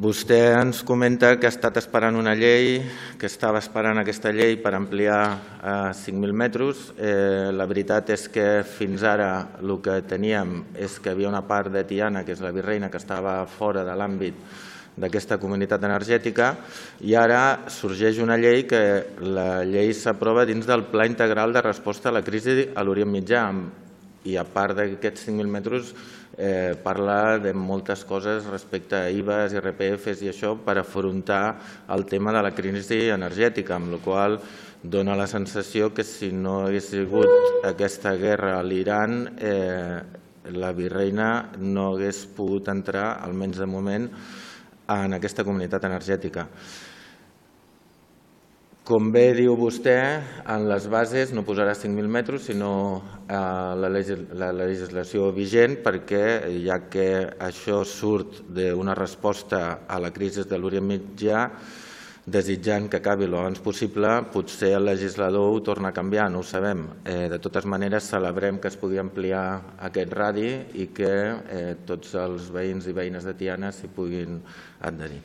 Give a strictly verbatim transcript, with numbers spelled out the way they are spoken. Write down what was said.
Vostè ens comenta que ha estat esperant una llei, que estava esperant aquesta llei per ampliar a cinc mil metres. La veritat és que fins ara el que teníem és que hi havia una part de Tiana, que és la Virreina, que estava fora de l'àmbit d'aquesta comunitat energètica, i ara sorgeix una llei que la llei s'aprova dins del Pla Integral de Resposta a la Crisi a l'Orient Mitjà, i a part d'aquests cinc mil metres parla de moltes coses respecte a I V As, I R P Fs i això per afrontar el tema de la crisi energètica, amb la qual cosa dona la sensació que si no hagués sigut aquesta guerra a l'Iran, la Virreina no hagués pogut entrar, almenys de moment, en aquesta comunitat energètica. Com bé diu vostè, en les bases no posarà cinc mil metres, sinó la legislació vigent, perquè ja que això surt d'una resposta a la crisi de l'Orient Mitjà, desitjant que acabi el abans possible, potser el legislador ho torna a canviar, no ho sabem. De totes maneres, celebrem que es pugui ampliar aquest radi i que tots els veïns i veïnes de Tiana s'hi puguin adherir.